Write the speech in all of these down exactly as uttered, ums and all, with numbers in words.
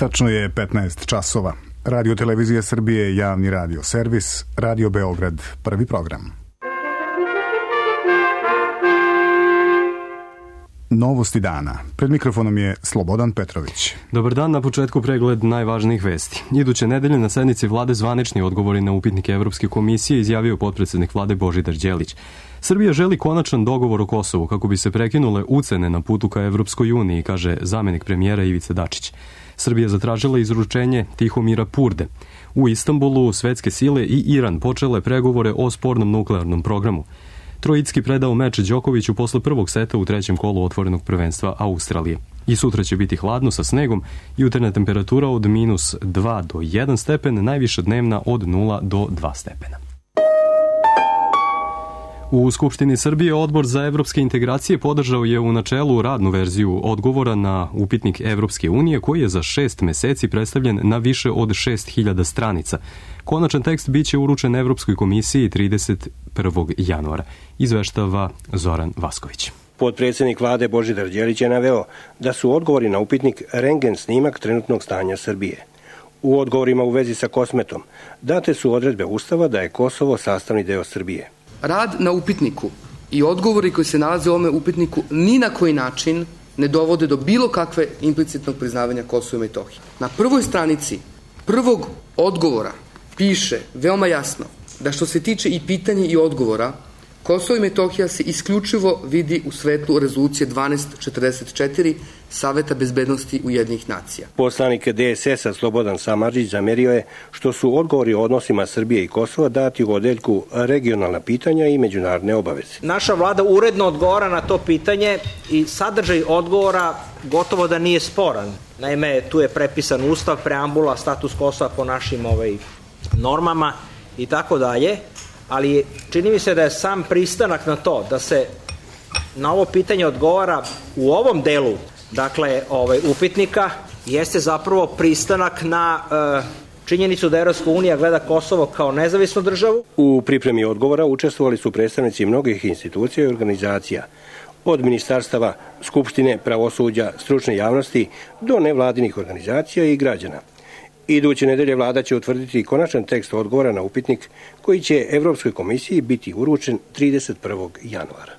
Tačno je petnaest časova. Radio Televizija Srbije, javni radio servis, Radio Beograd, prvi program. Novosti dana. Pred mikrofonom je Slobodan Petrović. Dobar dan, na početku pregled najvažnijih vesti. Iduće nedelje na sednici vlade zvanični odgovori na upitnike Evropske komisije izjavio potpredsednik vlade Božidar Đelić. Srbija želi konačan dogovor o Kosovu kako bi se prekinule ucene na putu ka Evropskoj uniji, kaže zamenik premijera Ivica Dačić. Srbija zatražila izručenje Tihomira Purde. U Istanbulu svetske sile i Iran počele pregovore o spornom nuklearnom programu. Trojicki predao meč Đokoviću posle prvog seta u trećem kolu otvorenog prvenstva Australije. I sutra će biti hladno sa snegom, jutarnja temperatura od minus dva do jedan stepen, najviša dnevna od nula do dva stepena. U Skupštini Srbije Odbor za evropske integracije podržao je u načelu radnu verziju odgovora na upitnik Evropske unije koji je za šest meseci predstavljen na više od šest hiljada stranica. Konačan tekst biće uručen Evropskoj komisiji trideset prvog januara, izveštava Zoran Vasković. Potpredsjednik vlade Božidar Đelić je naveo da su odgovori na upitnik rendgen snimak trenutnog stanja Srbije. U odgovorima u vezi sa Kosmetom date su odredbe Ustava da je Kosovo sastavni deo Srbije. Rad na upitniku i odgovori koji se nalaze u ovome upitniku ni na koji način ne dovode do bilo kakve implicitnog priznavanja Kosova i Metohije. Na prvoj stranici prvog odgovora piše veoma jasno da što se tiče i pitanja i odgovora, Kosovo i Metohija se isključivo vidi u svetlu rezolucije dvanaest četrdeset četiri Saveta bezbednosti Ujedinjenih nacija. Poslanik D S S-a Slobodan Samardžić zamerio je što su odgovori o odnosima Srbije i Kosova dati u odeljku regionalna pitanja i međunarodne obaveze. Naša vlada uredno odgovara na to pitanje i sadržaj odgovora gotovo da nije sporan. Naime, tu je prepisan ustav, preambula, status Kosova po našim ovaj, normama i tako dalje. Ali čini mi se da je sam pristanak na to da se na ovo pitanje odgovara u ovom delu, dakle, ovaj, upitnika, jeste zapravo pristanak na e, činjenicu da Evropska unija gleda Kosovo kao nezavisnu državu. U pripremi odgovora učestvovali su predstavnici mnogih institucija i organizacija, od ministarstava, skupštine, pravosuđa, stručne javnosti do nevladinih organizacija i građana. Iduće nedelje vlada će utvrditi konačan tekst odgovora na upitnik koji će Evropskoj komisiji biti uručen trideset prvog januara.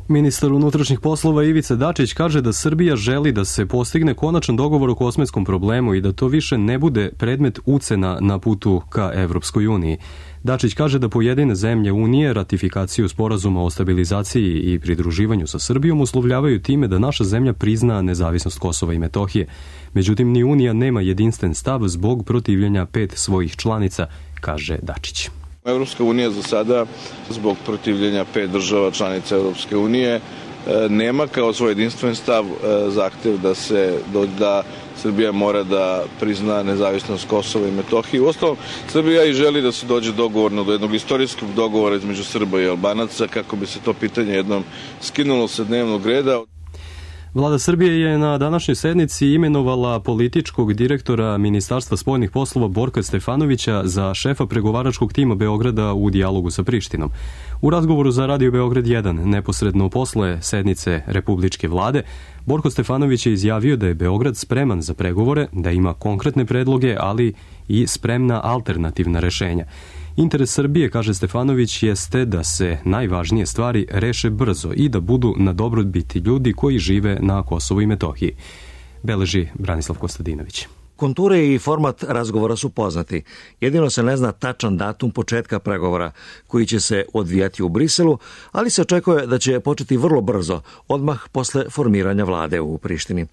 Ministar unutrašnjih poslova Ivica Dačić kaže da Srbija želi da se postigne konačan dogovor o kosmetskom problemu i da to više ne bude predmet ucena na putu ka Evropskoj uniji. Dačić kaže da pojedine zemlje Unije ratifikaciju sporazuma o stabilizaciji i pridruživanju sa Srbijom uslovljavaju time da naša zemlja prizna nezavisnost Kosova i Metohije. Međutim, ni Unija nema jedinstven stav zbog protivljenja pet svojih članica, kaže Dačić. Evropska unija za sada, zbog protivljenja pet država članica Evropske unije, nema kao svoj jedinstven stav zahtev da se da Srbija mora da prizna nezavisnost Kosova i Metohije. Uostalom, Srbija i želi da se dođe dogovorno do jednog istorijskog dogovora između Srba i Albanaca kako bi se to pitanje jednom skinulo sa dnevnog reda. Vlada Srbije je na današnjoj sednici imenovala političkog direktora Ministarstva spoljnih poslova Borka Stefanovića za šefa pregovaračkog tima Beograda u dijalogu sa Prištinom. U razgovoru za Radio Beograd jedan, neposredno posle sednice Republičke vlade, Borko Stefanović je izjavio da je Beograd spreman za pregovore, da ima konkretne predloge, ali i spremna alternativna rešenja. Interes Srbije, kaže Stefanović, jeste da se najvažnije stvari reše brzo i da budu na dobrobiti ljudi koji žive na Kosovu i Metohiji, beleži Branislav Kostadinović. Konture i format razgovora su poznati. Jedino se ne zna tačan datum početka pregovora koji će se odvijati u Briselu, ali se očekuje da će početi vrlo brzo, odmah posle formiranja vlade u Prištini.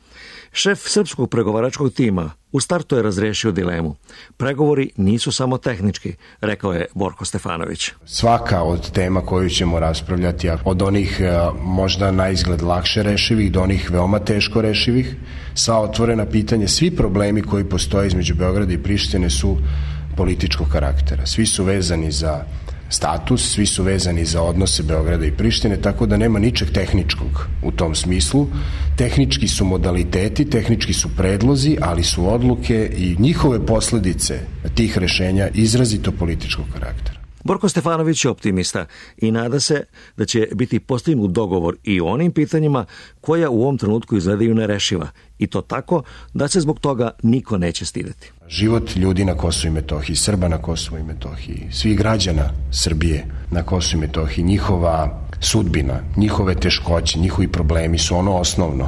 Šef srpskog pregovaračkog tima u startu je razrešio dilemu. Pregovori nisu samo tehnički, rekao je Borko Stefanović. Svaka od tema koju ćemo raspravljati, od onih možda na izgled lakše rešivih do onih veoma teško rešivih, sva otvorena pitanja, svi problemi koji postoje između Beograda i Prištine su političkog karaktera. Svi su vezani za status, svi su vezani za odnose Beograda i Prištine, tako da nema ničeg tehničkog u tom smislu. Tehnički su modaliteti, tehnički su predlozi, ali su odluke i njihove posledice tih rešenja izrazito političkog karaktera. Borko Stefanović je optimista i nada se da će biti postignut dogovor i o onim pitanjima koja u ovom trenutku izgledaju nerešiva, i to tako da se zbog toga niko neće stideti. Život ljudi na Kosovu i Metohiji, Srba na Kosovu i Metohiji, svih građana Srbije na Kosovu i Metohiji, njihova sudbina, njihove teškoće, njihovi problemi su ono osnovno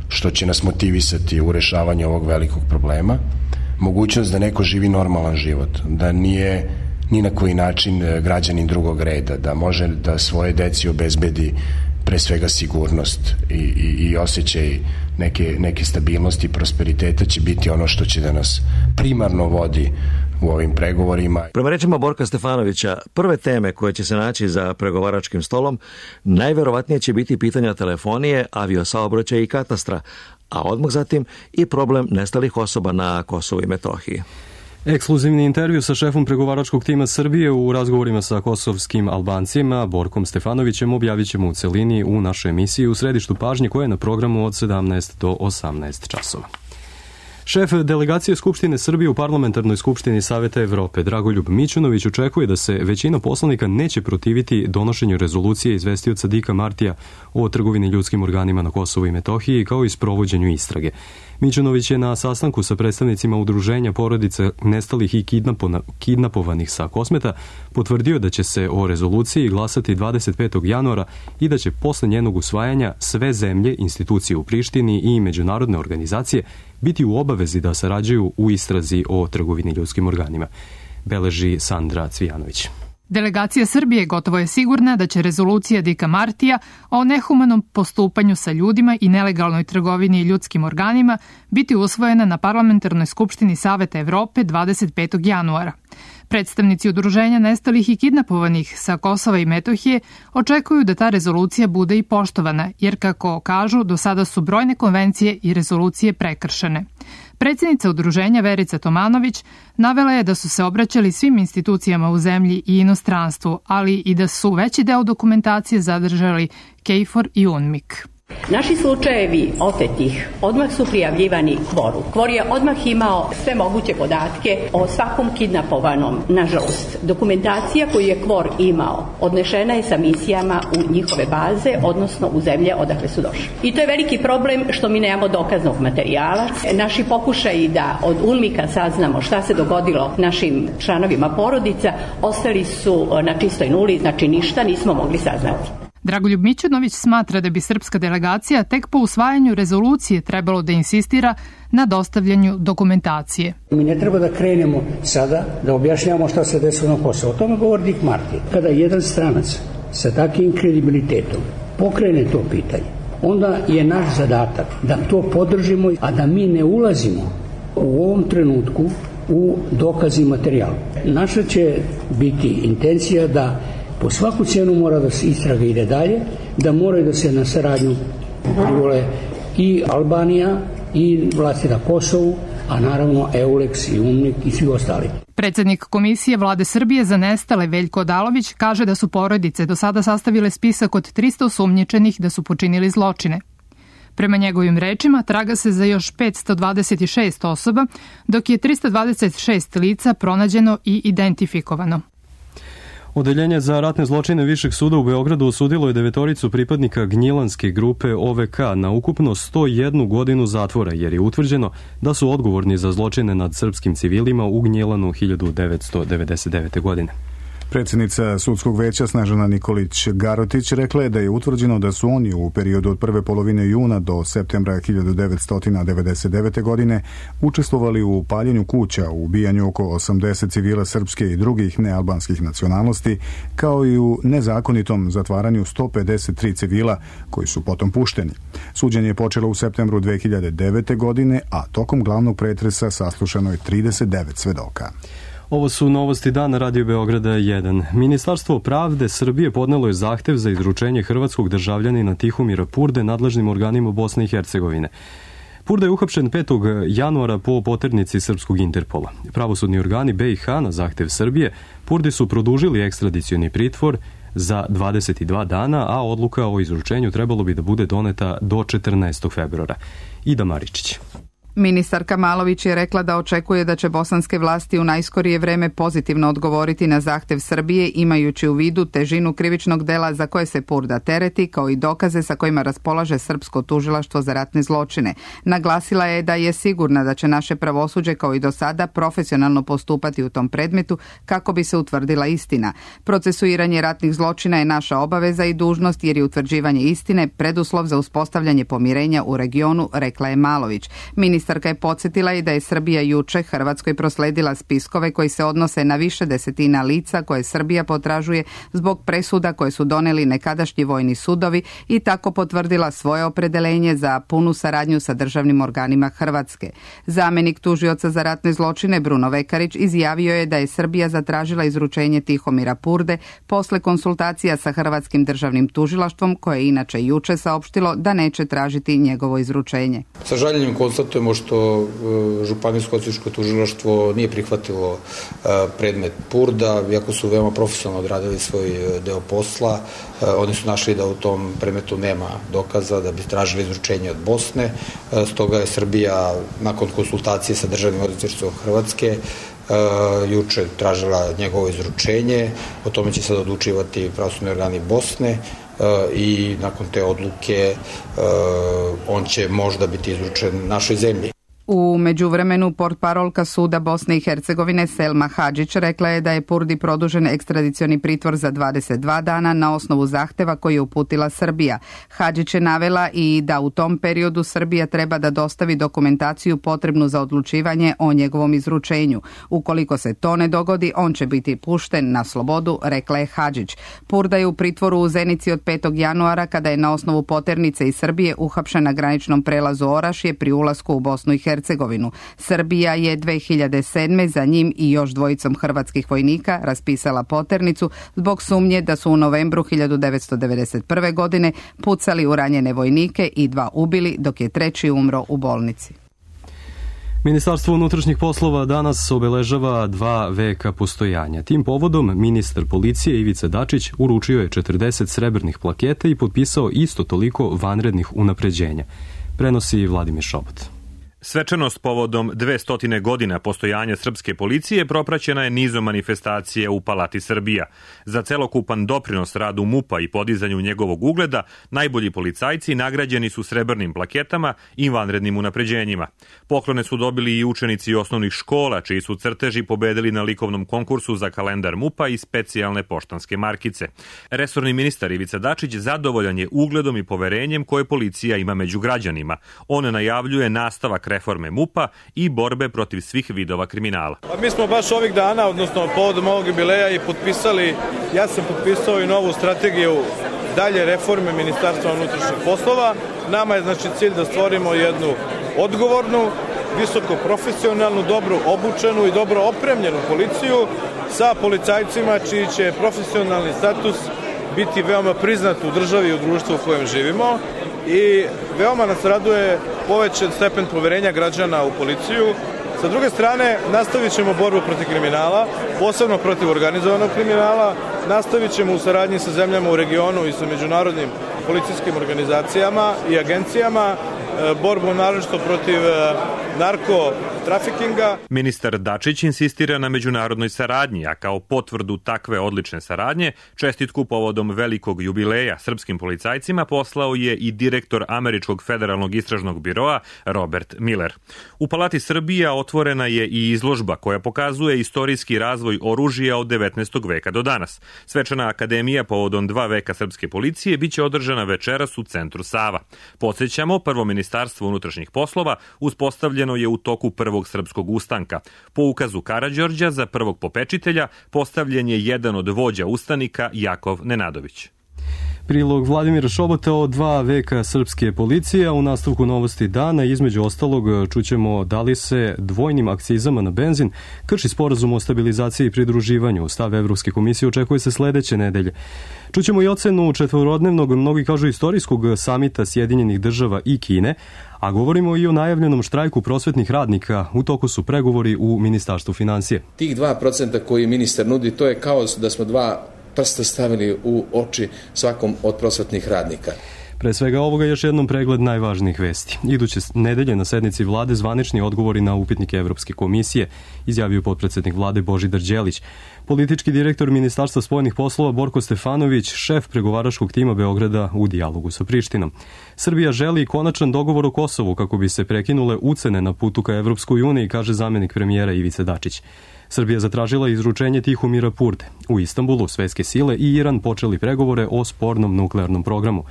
što će nas motivisati u rešavanju ovog velikog problema. Mogućnost da neko živi normalan život, da nije ni na koji način građanin drugog reda, da može da svoje deci obezbedi pre svega sigurnost i, i, i osjećaj neke, neke stabilnosti i prosperiteta će biti ono što će da nas primarno vodi u ovim pregovorima. Prema rečima Borka Stefanovića, prve teme koje će se naći za pregovaračkim stolom najverovatnije će biti pitanja telefonije, aviosaobraćaja i katastra, a odmah zatim i problem nestalih osoba na Kosovu i Metohiji. Ekskluzivni intervju sa šefom pregovaračkog tima Srbije u razgovorima sa kosovskim Albancima, Borkom Stefanovićem, objavit ćemo u celini u našoj emisiji U središtu pažnje, koja je na programu od sedamnaest do osamnaest časova. Šef delegacije Skupštine Srbije u Parlamentarnoj skupštini Saveta Evrope, Dragoljub Mićunović, očekuje da se većina poslanika neće protiviti donošenju rezolucije izvestioca Dika Martija o trgovini ljudskim organima na Kosovu i Metohiji, kao i sprovođenju istrage. Mićunović je na sastanku sa predstavnicima udruženja porodica nestalih i kidnapovanih sa Kosmeta potvrdio da će se o rezoluciji glasati dvadeset petog januara i da će posle njenog usvajanja sve zemlje, institucije u Prištini i međunarodne organizacije biti u obavezi da sarađuju u istrazi o trgovini ljudskim organima, beleži Sandra Cvijanović. Delegacija Srbije gotovo je sigurna da će rezolucija Dika Martija o nehumanom postupanju sa ljudima i nelegalnoj trgovini ljudskim organima biti usvojena na Parlamentarnoj skupštini Saveta Evrope dvadeset petog januara. Predstavnici udruženja nestalih i kidnapovanih sa Kosova i Metohije očekuju da ta rezolucija bude i poštovana, jer kako kažu, do sada su brojne konvencije i rezolucije prekršene. Predsjednica udruženja Verica Tomanović navela je da su se obraćali svim institucijama u zemlji i inostranstvu, ali i da su veći deo dokumentacije zadržali KFOR i UNMIK. Naši slučajevi otetih odmah su prijavljivani kvoru. Kvor je odmah imao sve moguće podatke o svakom kidnapovanom. Nažalost, dokumentacija koju je kvor imao odnešena je sa misijama u njihove baze, odnosno u zemlje odakle su došli. I to je veliki problem što mi nemamo dokaznog materijala. Naši pokušaji da od UNMIK-a saznamo šta se dogodilo našim članovima porodica ostali su na čistoj nuli, znači ništa nismo mogli saznati. Dragoljub Mićunović smatra da bi srpska delegacija tek po usvajanju rezolucije trebalo da insistira na dostavljanju dokumentacije. Mi ne treba da krenemo sada da objašnjavamo šta se desilo na Kosovu. O tome govori Dik Marti. Kada jedan stranac sa takvim kredibilitetom pokrene to pitanje, onda je naš zadatak da to podržimo, a da mi ne ulazimo u ovom trenutku u dokaz i materijal. Naša će biti intencija da po svaku cijenu mora da se istraga ide dalje, da moraju da se na saradnju privole i Albanija i vlasti na Kosovu, a naravno EULEX i UNMIK i svi ostali. Predsednik Komisije Vlade Srbije za nestale Veljko Odalović kaže da su porodice do sada sastavile spisak od trista osumnjičenih da su počinili zločine. Prema njegovim rečima, traga se za još petsto dvadeset šest osoba, dok je trista dvadeset šest lica pronađeno i identifikovano. Odeljenje za ratne zločine Višeg suda u Beogradu osudilo je devetoricu pripadnika Gnjilanske grupe O V K na ukupno sto jednu godinu zatvora, jer je utvrđeno da su odgovorni za zločine nad srpskim civilima u Gnjilanu hiljadu devetsto devedeset devete. godine. Predsjednica sudskog veća Snežana Nikolić-Garotić rekla je da je utvrđeno da su oni u periodu od prve polovine juna do septembra hiljadu devetsto devedeset devete. godine učestvovali u paljenju kuća, u ubijanju oko osamdeset civila srpske i drugih nealbanskih nacionalnosti, kao i u nezakonitom zatvaranju sto pedeset tri civila koji su potom pušteni. Suđenje je počelo u septembru dve hiljade devete. godine, a tokom glavnog pretresa saslušano je trideset devet svedoka. Ovo su novosti dana Radio Beograda jedan. Ministarstvo pravde Srbije podnelo je zahtev za izručenje hrvatskog državljanina Tihomira Purde nadležnim organima Bosne i Hercegovine. Purda je uhapšen petog januara po poternici srpskog Interpola. Pravosudni organi B i H na zahtev Srbije Purdi su produžili ekstradicioni pritvor za dvadeset dva dana, a odluka o izručenju trebalo bi da bude doneta do četrnaestog februara. Ida Maričić. Ministarka Malović je rekla da očekuje da će bosanske vlasti u najskorije vreme pozitivno odgovoriti na zahtev Srbije, imajući u vidu težinu krivičnog dela za koje se Purda tereti, kao i dokaze sa kojima raspolaže srpsko tužilaštvo za ratne zločine. Naglasila je da je sigurna da će naše pravosuđe kao i do sada profesionalno postupati u tom predmetu kako bi se utvrdila istina. Procesuiranje ratnih zločina je naša obaveza i dužnost jer je utvrđivanje istine preduslov za uspostavljanje pomirenja u regionu, rekla je Malović. Ministarka je podsjetila i da je Srbija juče Hrvatskoj prosledila spiskove koji se odnose na više desetina lica koje Srbija potražuje zbog presuda koje su doneli nekadašnji vojni sudovi i tako potvrdila svoje opredeljenje za punu saradnju sa državnim organima Hrvatske. Zamenik tužioca za ratne zločine Bruno Vekarić izjavio je da je Srbija zatražila izručenje Tihomira Purde posle konsultacija sa Hrvatskim državnim tužilaštvom, koje je inače juče saopštilo da neće tražiti njegovo izručenje. Sa žaljenjem konstatujemo što Županijsko-odvjetničko tužilaštvo nije prihvatilo predmet Purda, iako su veoma profesionalno odradili svoj deo posla. Oni su našli da u tom predmetu nema dokaza, da bi tražili izručenje od Bosne. Stoga je Srbija nakon konsultacije sa državnim odvjetništvom Hrvatske juče tražila njegovo izručenje. O tome će sad odlučivati pravosudni organi Bosne i nakon te odluke on će možda biti izručen našoj zemlji. U međuvremenu portparolka suda Bosne i Hercegovine Selma Hadžić rekla je da je Purdi produžen ekstradicioni pritvor za dvadeset dva dana na osnovu zahteva koji je uputila Srbija. Hadžić je navela i da u tom periodu Srbija treba da dostavi dokumentaciju potrebnu za odlučivanje o njegovom izručenju. Ukoliko se to ne dogodi, on će biti pušten na slobodu, rekla je Hadžić. Purda je u pritvoru u Zenici od petog januara kada je na osnovu poternice iz Srbije uhapšen na graničnom prelazu Orašje pri ulasku u Bosnu i Hercegovinu. Hercegovinu. Srbija je dve hiljade sedme za njim i još dvojicom hrvatskih vojnika raspisala poternicu zbog sumnje da su u novembru hiljadu devetsto devedeset prve. godine pucali u ranjene vojnike i dva ubili, dok je treći umro u bolnici. Ministarstvo unutrašnjih poslova danas obeležava dva veka postojanja. Tim povodom ministar policije Ivica Dačić uručio je četrdeset srebrnih plaketa i potpisao isto toliko vanrednih unapređenja. Prenosi Vladimir Šobot. Svečanost povodom dvestotine godina postojanja srpske policije propraćena je nizom manifestacije u Palati Srbija. Za celokupan doprinos radu MUP-a i podizanju njegovog ugleda, najbolji policajci nagrađeni su srebrnim plaketama i vanrednim unapređenjima. Poklone su dobili i učenici osnovnih škola, čiji su crteži pobedili na likovnom konkursu za kalendar MUP-a i specijalne poštanske markice. Resorni ministar Ivica Dačić zadovoljan je ugledom i poverenjem koje policija ima među građanima. On najavljuje nastavak reforme MUP-a i borbe protiv svih vidova kriminala. Pa mi smo baš ovih dana, odnosno povodom ovog jubileja i potpisali, ja sam potpisao i novu strategiju dalje reforme Ministarstva unutrašnjih poslova. Nama je znači cilj da stvorimo jednu odgovornu, visoko profesionalnu, dobro obučenu i dobro opremljenu policiju sa policajcima čiji će profesionalni status biti veoma priznat u državi i u društvu u kojem živimo i veoma nas raduje povećan stepen poverenja građana u policiju. Sa druge strane, nastavit ćemo borbu protiv kriminala, posebno protiv organizovanog kriminala, nastavit ćemo u saradnji sa zemljama u regionu i sa međunarodnim policijskim organizacijama i agencijama borbu naročito protiv narkotrafikinga. Ministar Dačić insistira na međunarodnoj saradnji, a kao potvrdu takve odlične saradnje, čestitku povodom velikog jubileja srpskim policajcima poslao je i direktor Američkog federalnog istražnog biroa Robert Miller. U Palati Srbija otvorena je i izložba koja pokazuje istorijski razvoj oružja od devetnaestog veka do danas. Svečana akademija povodom dva veka srpske policije biće održana večeras u centru Sava. Podsjećamo, prvo Ministarstvo unutrašnjih poslova uspostavljeno je u toku prvog srpskog ustanka. Po ukazu Karađorđa za prvog popečitelja postavljen je jedan od vođa ustanika Jakov Nenadović. Prilog Vladimira Šobota o dva veka srpske policije, a u nastavku novosti dana između ostalog čućemo da li se dvojnim akcizama na benzin krši sporazum o stabilizaciji i pridruživanju. Stav Evropske komisije očekuje se sledeće nedelje. Čućemo i ocenu četvorodnevnog, mnogi kažu istorijskog samita Sjedinjenih država i Kine, a govorimo i o najavljenom štrajku prosvetnih radnika. U toku su pregovori u Ministarstvu financije. Tih dva procenta koji ministar nudi, to je kao da smo dva prsta stavili u oči svakom od prosvetnih radnika. Pre svega ovoga još jednom pregled najvažnijih vesti. Iduće nedelje na sednici vlade zvanični odgovori na upitnike Evropske komisije, izjavio potpredsednik vlade Božidar Đelić. Politički direktor Ministarstva spoljnih poslova Borko Stefanović, šef pregovaračkog tima Beograda u dijalogu sa Prištinom. Srbija želi konačan dogovor o Kosovu kako bi se prekinule ucene na putu ka Evropskoj uniji, kaže zamenik premijera Ivica Dačić. Srbija zatražila izručenje Tihomira Purde. U Istanbulu svetske sile i Iran počeli pregovore o spornom nuklearnom programu.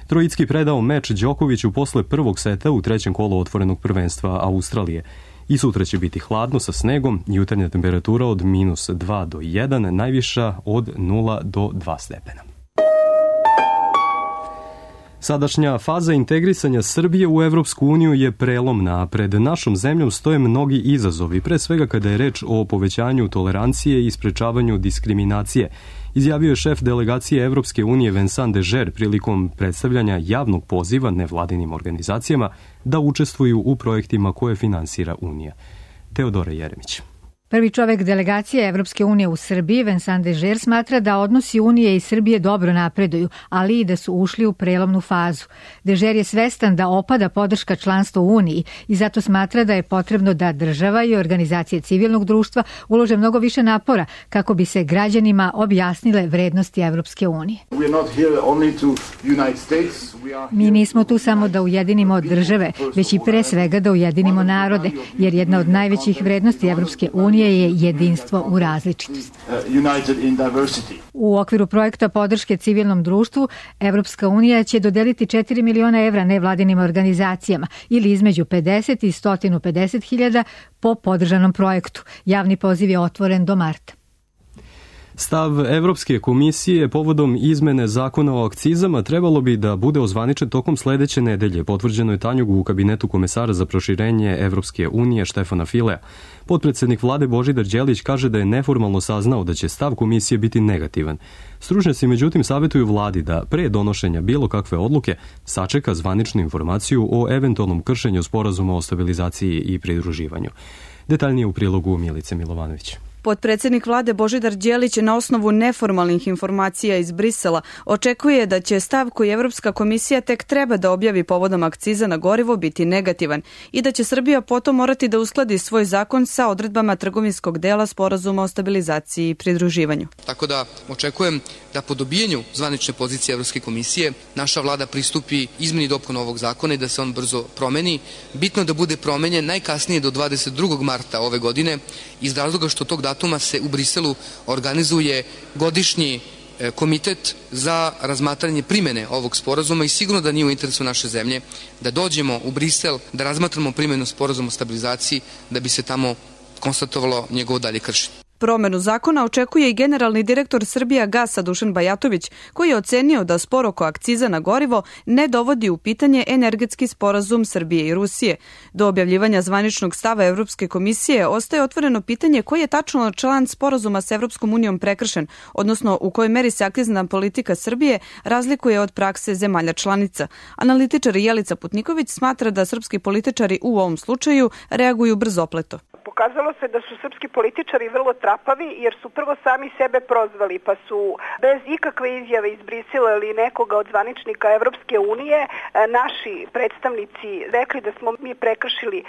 Trojicki predao meč Đokoviću posle prvog seta u trećem kolu otvorenog prvenstva Australije. I sutra će biti hladno sa snegom, jutarnja temperatura od minus dva do jedan, najviša od nula do dva stepena. Sadašnja faza integrisanja Srbije u Evropsku uniju je prelomna, a pred našom zemljom stoje mnogi izazovi, pre svega kada je reč o povećanju tolerancije i sprečavanju diskriminacije, izjavio je šef delegacije Evropske unije Vincent Deger prilikom predstavljanja javnog poziva nevladinim organizacijama da učestvuju u projektima koje finansira Unija. Teodora Jeremić. Prvi čovek delegacije Evropske unije u Srbiji, Vincent Deger, smatra da odnosi Unije i Srbije dobro napreduju, ali i da su ušli u prelomnu fazu. Deger je svestan da opada podrška članstva u Uniji i zato smatra da je potrebno da država i organizacije civilnog društva ulože mnogo više napora kako bi se građanima objasnile vrednosti Evropske unije. Mi nismo tu samo da ujedinimo države, već i pre svega da ujedinimo narode, jer jedna od najvećih vrednosti Evropske unije je jedinstvo u različitosti. U okviru projekta podrške civilnom društvu, Evropska unija će dodeliti četiri miliona evra nevladinim organizacijama ili između pedeset i sto pedeset hiljada po podržanom projektu. Javni poziv je otvoren do marta. Stav Evropske komisije povodom izmene zakona o akcizama trebalo bi da bude ozvaničen tokom sledeće nedelje, potvrđeno je Tanjugu u kabinetu komesara za proširenje Evropske unije Štefana Filea. Potpredsednik vlade Božidar Đelić kaže da je neformalno saznao da će stav komisije biti negativan. Stručnjaci međutim savetuju vladi da pre donošenja bilo kakve odluke sačeka zvaničnu informaciju o eventualnom kršenju sporazuma o stabilizaciji i pridruživanju. Detaljnije u prilogu Milice Milovanović. Potpredsednik vlade Božidar Đelić na osnovu neformalnih informacija iz Brisela očekuje da će stav koji Evropska komisija tek treba da objavi povodom akciza na gorivo biti negativan i da će Srbija potom morati da uskladi svoj zakon sa odredbama trgovinskog dela sporazuma o stabilizaciji i pridruživanju. Tako da očekujem da po dobijenju zvanične pozicije Evropske komisije naša vlada pristupi izmeni dopuna ovog zakona i da se on brzo promeni. Bitno da bude promenjen najkasnije do dvadeset drugog marta ove godine iz razloga što tog datuma se u Briselu organizuje godišnji komitet za razmatranje primene ovog sporazuma i sigurno da nije u interesu naše zemlje da dođemo u Brisel, da razmatramo primenu sporazuma o stabilizaciji, da bi se tamo konstatovalo njegovo dalje kršenje. Promenu zakona očekuje i generalni direktor Srbija Gasa Dušan Bajatović, koji je ocenio da spor oko akciza na gorivo ne dovodi u pitanje energetski sporazum Srbije i Rusije. Do objavljivanja zvaničnog stava Evropske komisije ostaje otvoreno pitanje koji je tačno član sporazuma s Evropskom unijom prekršen, odnosno u kojoj meri se akcizna politika Srbije razlikuje od prakse zemalja članica. Analitičar Jelica Putniković smatra da srpski političari u ovom slučaju reaguju brzopleto. Pokazalo se da su srpski političari vrlo trapavi jer su prvo sami sebe prozvali pa su bez ikakve izjave iz Brisela ili nekoga od zvaničnika Evropske unije naši predstavnici rekli da smo mi prekršili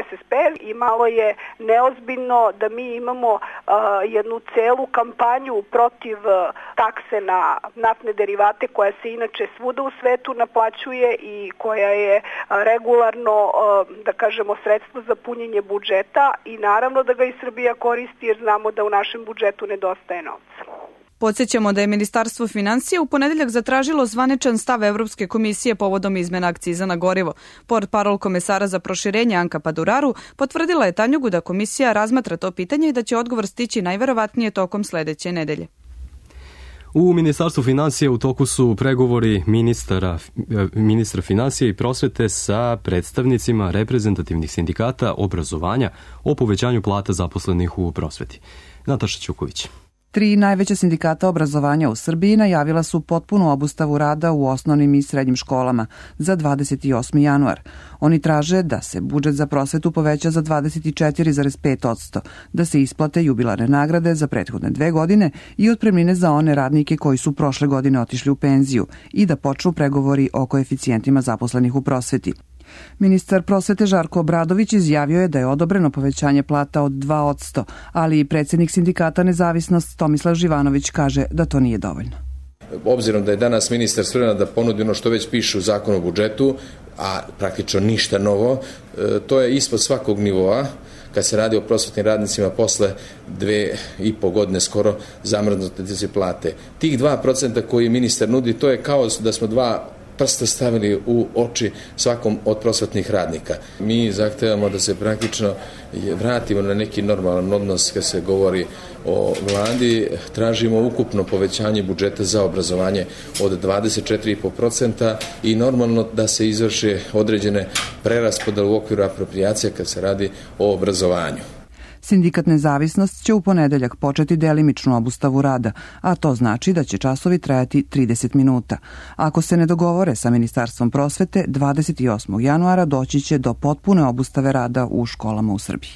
S S P i malo je neozbiljno da mi imamo uh, jednu celu kampanju protiv uh, takse na naftne derivate koja se inače svuda u svetu naplaćuje i koja je uh, regularno, uh, da kažemo, sredstvo za punjenje budžeta i naravno da ga i Srbija koristi jer znamo da u našem budžetu nedostaje novca. Podsjećamo da je Ministarstvo finansija u ponedeljak zatražilo zvaničan stav Evropske komisije povodom izmena akciza na gorivo. Portparol komesara za proširenje Anka Paduraru potvrdila je Tanjugu da komisija razmatra to pitanje i da će odgovor stići najverovatnije tokom sledeće nedelje. U Ministarstvu finansija u toku su pregovori ministra, ministra finansija i prosvete sa predstavnicima reprezentativnih sindikata obrazovanja o povećanju plata zaposlenih u prosveti. Nataša Ćuković. Tri najveća sindikata obrazovanja u Srbiji najavila su potpunu obustavu rada u osnovnim i srednjim školama za dvadeset osmi januar. Oni traže da se budžet za prosvetu poveća za dvadeset četiri zarez pet posto, da se isplate jubilarne nagrade za prethodne dve godine i otpremnine za one radnike koji su prošle godine otišli u penziju i da počnu pregovori o koeficijentima zaposlenih u prosveti. Ministar prosvete Žarko Obradović izjavio je da je odobreno povećanje plata od dva posto, ali i predsjednik sindikata Nezavisnost Tomislav Živanović kaže da to nije dovoljno. Obzirom da je danas ministar spreman da ponudi ono što već piše u zakonu o budžetu, a praktično ništa novo, to je ispod svakog nivoa kad se radi o prosvetnim radnicima posle dve i po godine skoro zamrznute se plate. Tih dva procenta koji ministar nudi, to je kao da smo dva prsta stavili u oči svakom od prosvetnih radnika. Mi zahtevamo da se praktično vratimo na neki normalan odnos kad se govori o vladi. Tražimo ukupno povećanje budžeta za obrazovanje od dvadeset četiri i po procenta i normalno da se izvrše određene preraspodele u okviru aproprijacija kad se radi o obrazovanju. Sindikat Nezavisnost će u ponedeljak početi delimičnu obustavu rada, a to znači da će časovi trajati trideset minuta. Ako se ne dogovore sa Ministarstvom prosvete, dvadeset osmog januara doći će do potpune obustave rada u školama u Srbiji.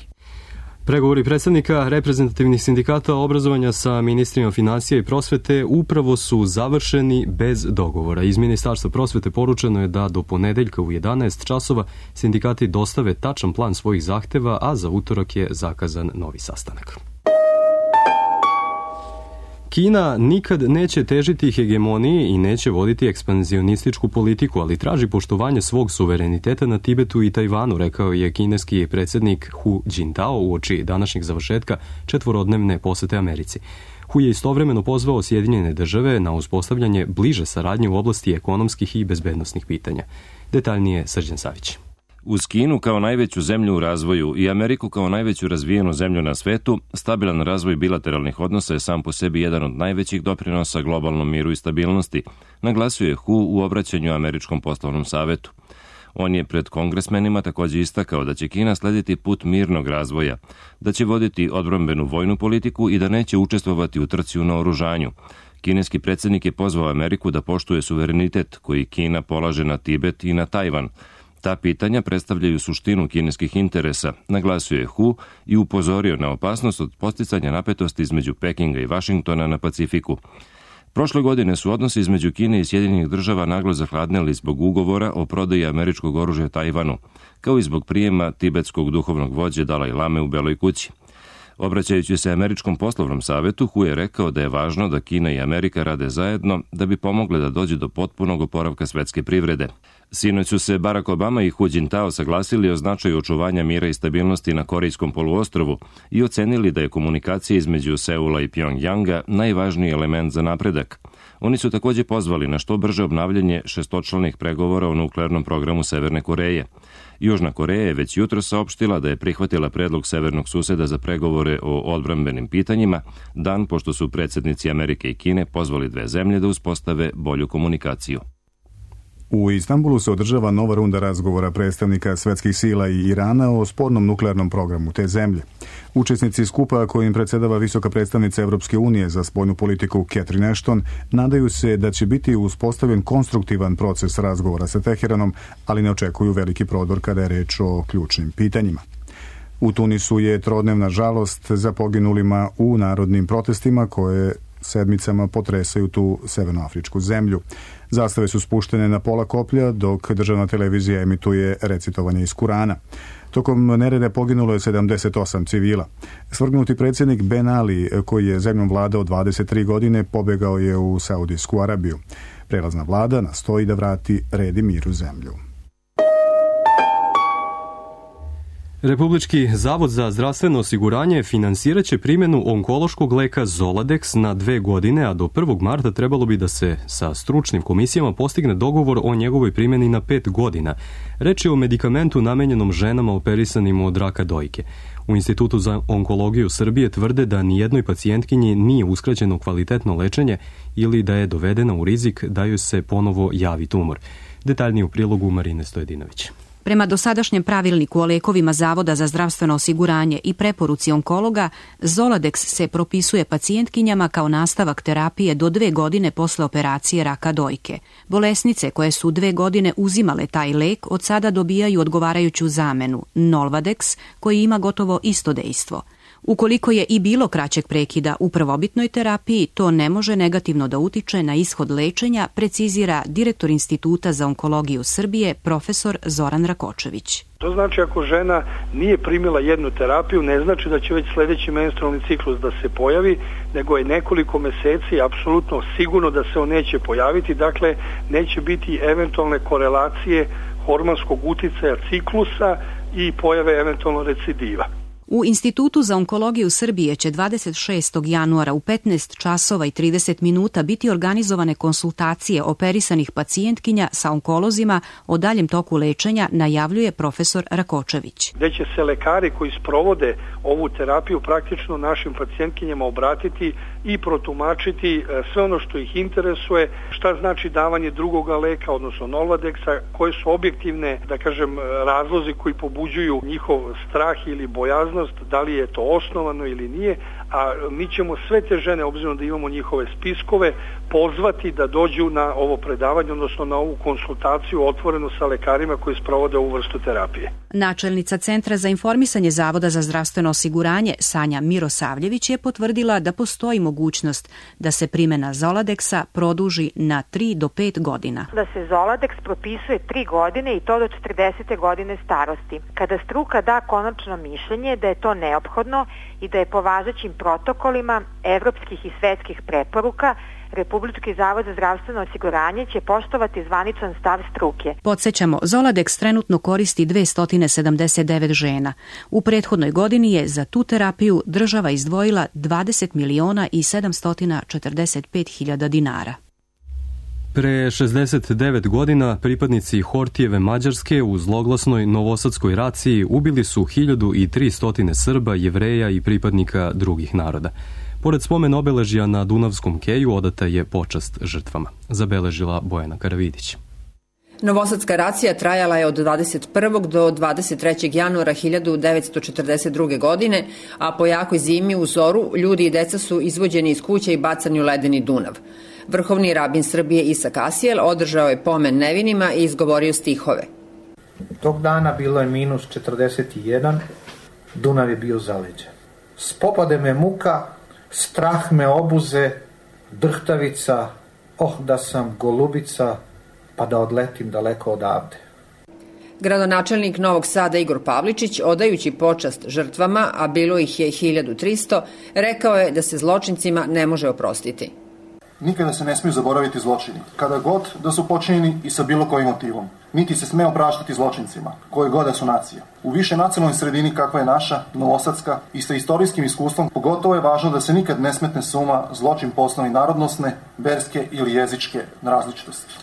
Pregovori predstavnika reprezentativnih sindikata obrazovanja sa ministrima finansija i prosvete upravo su završeni bez dogovora. Iz Ministarstva prosvete poručeno je da do ponedeljka u jedanaest časova sindikati dostave tačan plan svojih zahteva, a za utorak je zakazan novi sastanak. Kina nikad neće težiti hegemoniji i neće voditi ekspanzionističku politiku, ali traži poštovanje svog suvereniteta na Tibetu i Tajvanu, rekao je kineski predsjednik Hu Jintao uoči današnjeg završetka četvorodnevne posete Americi. Hu je istovremeno pozvao Sjedinjene države na uspostavljanje bliže saradnje u oblasti ekonomskih i bezbednosnih pitanja. Detaljnije Srđan Savić. Uz Kinu kao najveću zemlju u razvoju i Ameriku kao najveću razvijenu zemlju na svetu, stabilan razvoj bilateralnih odnosa je sam po sebi jedan od najvećih doprinosa globalnom miru i stabilnosti, naglasio je Hu u obraćanju Američkom poslovnom savetu. On je pred kongresmenima također istakao da će Kina slediti put mirnog razvoja, da će voditi odbrambenu vojnu politiku i da neće učestvovati u trci u naoružanju. Kineski predsjednik je pozvao Ameriku da poštuje suverenitet koji Kina polaže na Tibet i na Tajvan. Ta pitanja predstavljaju suštinu kineskih interesa, naglasio je Hu i upozorio na opasnost od posticanja napetosti između Pekinga i Vašingtona na Pacifiku. Prošle godine su odnosi između Kine i Sjedinjenih država naglo zahladnili zbog ugovora o prodaji američkog oružja Tajvanu, kao i zbog prijema tibetskog duhovnog vođe Dalaj Lame u Beloj kući. Obraćajući se Američkom poslovnom savetu, Hu je rekao da je važno da Kina i Amerika rade zajedno da bi pomogle da dođe do potpunog oporavka svetske privrede. Sinoć su se Barack Obama i Hu Jintao saglasili o značaju očuvanja mira i stabilnosti na Korejskom poluostrvu i ocenili da je komunikacija između Seula i Pjongjanga najvažniji element za napredak. Oni su također pozvali na što brže obnavljanje šestočlanih pregovora o nuklearnom programu Severne Koreje. Južna Koreja je već jutro saopštila da je prihvatila predlog severnog suseda za pregovore o odbrambenim pitanjima, dan pošto su predsjednici Amerike i Kine pozvali dve zemlje da uspostave bolju komunikaciju. U Istanbulu se održava nova runda razgovora predstavnika svetskih sila i Irana o spornom nuklearnom programu te zemlje. Učesnici skupa kojim predsjedava visoka predstavnica Evropske unije za spoljnu politiku Catherine Ashton nadaju se da će biti uspostavljen konstruktivan proces razgovora sa Teheranom, ali ne očekuju veliki prodor kada je reč o ključnim pitanjima. U Tunisu je trodnevna žalost za poginulima u narodnim protestima koje sedmicama potresaju tu severnoafričku zemlju. Zastave su spuštene na pola koplja dok državna televizija emituje recitovanje iz Kurana. Tokom nereda poginulo je sedamdeset osam civila. Svrgnuti predsjednik Ben Ali, koji je zemljom vladao dvadeset tri godine, pobegao je u Saudijsku Arabiju. Prelazna vlada nastoji da vrati red i mir u zemlju. Republički zavod za zdravstveno osiguranje finansirat će primjenu onkološkog leka Zoladex na dve godine, a do prvog marta trebalo bi da se sa stručnim komisijama postigne dogovor o njegovoj primjeni na pet godina. Reč je o medikamentu namenjenom ženama operisanim od raka dojke. U Institutu za onkologiju Srbije tvrde da nijednoj pacijentkinji nije uskraćeno kvalitetno lečenje ili da je dovedena u rizik da joj se ponovo javi tumor. Detaljnije u prilogu Marine Stojedinović. Prema dosadašnjem pravilniku o lekovima Zavoda za zdravstveno osiguranje i preporuci onkologa, Zoladex se propisuje pacijentkinjama kao nastavak terapije do dve godine posle operacije raka dojke. Bolesnice koje su dve godine uzimale taj lek od sada dobijaju odgovarajuću zamenu, Nolvadex, koji ima gotovo isto dejstvo. Ukoliko je i bilo kraćeg prekida u prvobitnoj terapiji, to ne može negativno da utiče na ishod lečenja, precizira direktor Instituta za onkologiju Srbije, profesor Zoran Rakočević. To znači ako žena nije primila jednu terapiju, ne znači da će već sledeći menstrualni ciklus da se pojavi, nego je nekoliko meseci apsolutno sigurno da se on neće pojaviti, dakle neće biti eventualne korelacije hormonskog uticaja ciklusa i pojave eventualno recidiva. U Institutu za onkologiju Srbije će dvadeset šestog januara u petnaest časova i trideset minuta biti organizovane konsultacije operisanih pacijentkinja sa onkolozima o daljem toku lečenja, najavljuje profesor Rakočević. Gde će se lekari koji sprovode ovu terapiju praktično našim pacijentkinjama obratiti i protumačiti sve ono što ih interesuje, šta znači davanje drugoga leka, odnosno Nolvadexa, koje su objektivne, da kažem, razlozi koji pobuđuju njihov strah ili bojaznost, da li je to osnovano ili nije, a mi ćemo sve te žene, obzirom da imamo njihove spiskove, pozvati da dođu na ovo predavanje, odnosno na ovu konsultaciju otvoreno sa lekarima koji sprovode ovu vrstu terapije. Načelnica Centra za informisanje Zavoda za zdravstveno osiguranje Sanja Mirosavljević je potvrdila da postoji mogućnost da se primjena Zoladexa produži na tri do pet godina. Da se Zoladex propisuje tri godine i to do četrdesete godine starosti. Kada struka da konačno mišljenje da je to neophodno i da je po važećim protokolima evropskih i svetskih preporuka, Republički zavod za zdravstveno osiguranje će poštovati zvaničan stav struke. Podsjećamo, Zoladex trenutno koristi dvesta sedamdeset devet žena. U prethodnoj godini je za tu terapiju država izdvojila dvadeset miliona i sedamsto četrdeset pet hiljada dinara. Pre šezdeset devet godina pripadnici Hortijeve Mađarske u zloglasnoj novosadskoj raciji ubili su hiljadu tristo Srba, Jevreja i pripadnika drugih naroda. Pored spomen obeležja na Dunavskom keju odata je počast žrtvama, zabeležila Bojana Karavidić. Novosadska racija trajala je od dvadeset prvog do dvadeset trećeg januara hiljadu devetsto četrdeset druge. godine, a po jakoj zimi u zoru ljudi i deca su izvođeni iz kuća i bacani u ledeni Dunav. Vrhovni rabin Srbije Isak Asijel održao je pomen nevinima i izgovorio stihove. Tog dana bilo je minus četrdeset jedan, Dunav je bio zaleđen. Spopade me muka, strah me obuze, drhtavica, oh da sam golubica, pa da odletim daleko odavde. Gradonačelnik Novog Sada Igor Pavličić, odajući počast žrtvama, a bilo ih je hiljadu tristo, rekao je da se zločincima ne može oprostiti. Nikada se ne smiju zaboraviti zločini, kada god da su počinjeni i sa bilo kojim motivom. Niti se sme opraštati zločincima, koje god da su nacije. U više nacionalnoj sredini kakva je naša, novosadska, i sa istorijskim iskustvom, pogotovo je važno da se nikad ne smetne suma zločin po osnovi narodnosne, verske ili jezičke različitosti.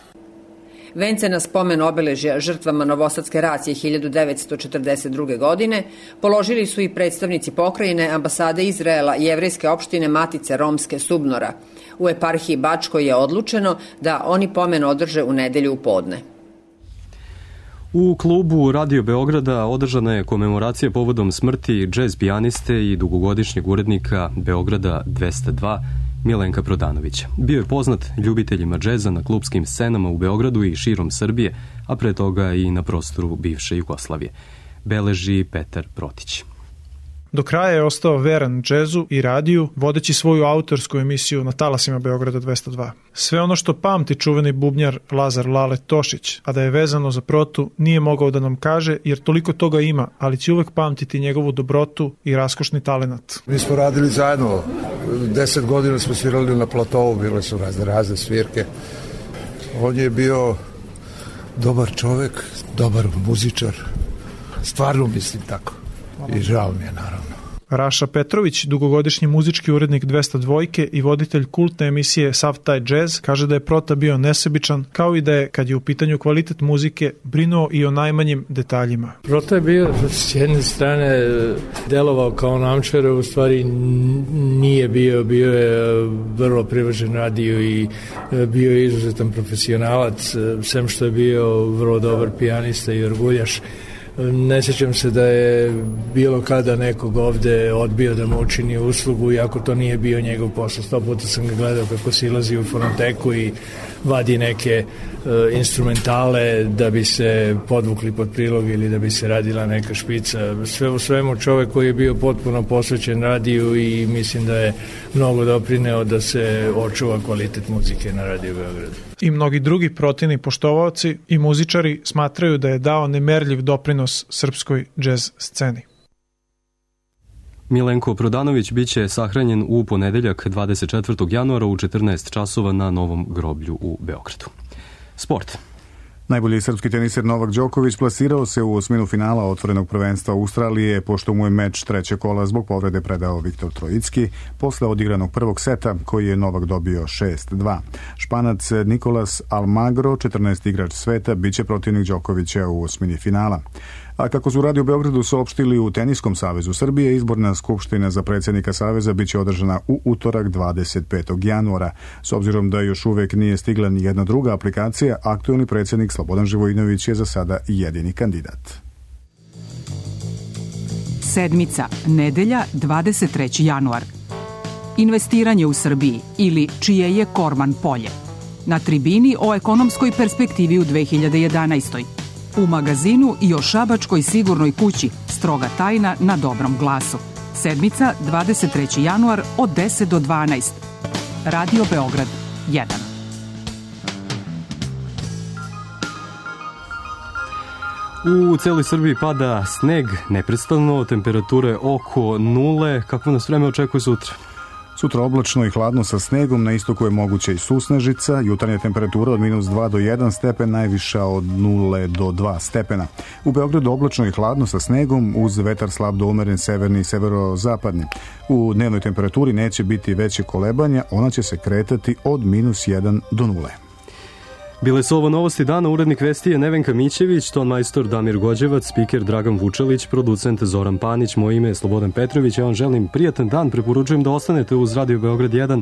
Vence na spomen obeležja žrtvama novosadske racije hiljadu devetsto četrdeset druge. godine položili su i predstavnici pokrajine, ambasade Izraela, jevrejske opštine Matice Romske Subnora. U eparhiji Bačkoj je odlučeno da oni pomen održe u nedelju u podne. U klubu Radio Beograda održana je komemoracija povodom smrti džez pijaniste i dugogodišnjeg urednika Beograda dvesta dva Milenka Prodanovića. Bio je poznat ljubiteljima džeza na klupskim scenama u Beogradu i širom Srbije, a pre toga i na prostoru bivše Jugoslavije. Beleži Petar Protić. Do kraja je ostao veran džezu i radiju, vodeći svoju autorsku emisiju na talasima Beograda dvesta dva. Sve ono što pamti čuveni bubnjar Lazar Lale Tošić, a da je vezano za Protu, nije mogao da nam kaže, jer toliko toga ima, ali će uvek pamtiti njegovu dobrotu i raskošni talenat. Mi smo radili zajedno, deset godina smo svirali na platovu, bile su razne razne svirke. On je bio dobar čovek, dobar muzičar, stvarno mislim tako. I žao mi je, naravno. Raša Petrović, dugogodišnji muzički urednik dvesta dva i voditelj kultne emisije Sav taj džez, kaže da je Prota bio nesebičan, kao i da je, kad je u pitanju kvalitet muzike, brinuo i o najmanjim detaljima. Prota je bio s jedne strane delovao kao namčar, u stvari nije bio, bio je vrlo privržen radiju i bio je izuzetan profesionalac, sem što je bio vrlo dobar pijanista i orguljaš. Ne sjećam se da je bilo kada nekog ovde odbio da mu učini uslugu, iako to nije bio njegov posao. Sto puta sam ga gledao kako silazi u fonoteku i vadi neke uh, instrumentale da bi se podvukli pod prilog ili da bi se radila neka špica. Sve u svemu čovek koji je bio potpuno posvećen radiju i mislim da je mnogo doprineo da se očuva kvalitet muzike na Radio Beogradu. I mnogi drugi Protini poštovaoci i muzičari smatraju da je dao nemerljiv doprinos srpskoj džez sceni. Milenko Prodanović biće sahranjen u ponedeljak dvadeset četvrtog januara u četrnaest časova na Novom groblju u Beogradu. Sport. Najbolji srpski teniser Novak Đoković plasirao se u osminu finala otvorenog prvenstva Australije, pošto mu je meč treće kola zbog povrede predao Viktor Trojicki posle odigranog prvog seta, koji je Novak dobio šest dva. Španac Nikolas Almagro, četrnaesti igrač sveta, biće protivnik Đokovića u osmini finala. A kako su Radio Beogradu saopštili u Teniskom savezu Srbije, izborna skupština za predsjednika saveza biće održana u utorak dvadeset petog januara. S obzirom da još uvek nije stigla ni jedna druga aplikacija, aktuelni predsjednik Slobodan Živojinović je za sada jedini kandidat. Sedmica, nedelja, dvadeset treći januar. Investiranje u Srbiji ili čije je Korman polje. Na tribini o ekonomskoj perspektivi u dve hiljade jedanaestoj. U magazinu i o šabačkoj sigurnoj kući, stroga tajna na Dobrom glasu. Sedmica, dvadeset treći januar od deset do dvanaest. Radio Beograd jedan. U celoj Srbiji pada sneg neprestano, temperature oko nule. Kako nas vreme očekuje sutra? Sutra oblačno i hladno sa snegom, na istoku je moguća i susnežica, jutarnja temperatura od minus dva do jedan stepen, najviša od nula do dva stepena. U Beogradu oblačno i hladno sa snegom, uz vetar slab do umeren severni i severozapadni. U dnevnoj temperaturi neće biti veće kolebanja, ona će se kretati od minus jedan do nule. Bile su ovo novosti dana, urednik vesti je Nevenka Mićević, ton majstor Damir Gođevac, spiker Dragan Vučelić, producent Zoran Panić, moje ime je Slobodan Petrović, ja vam želim prijatan dan, preporučujem da ostanete uz Radio Beograd jedan.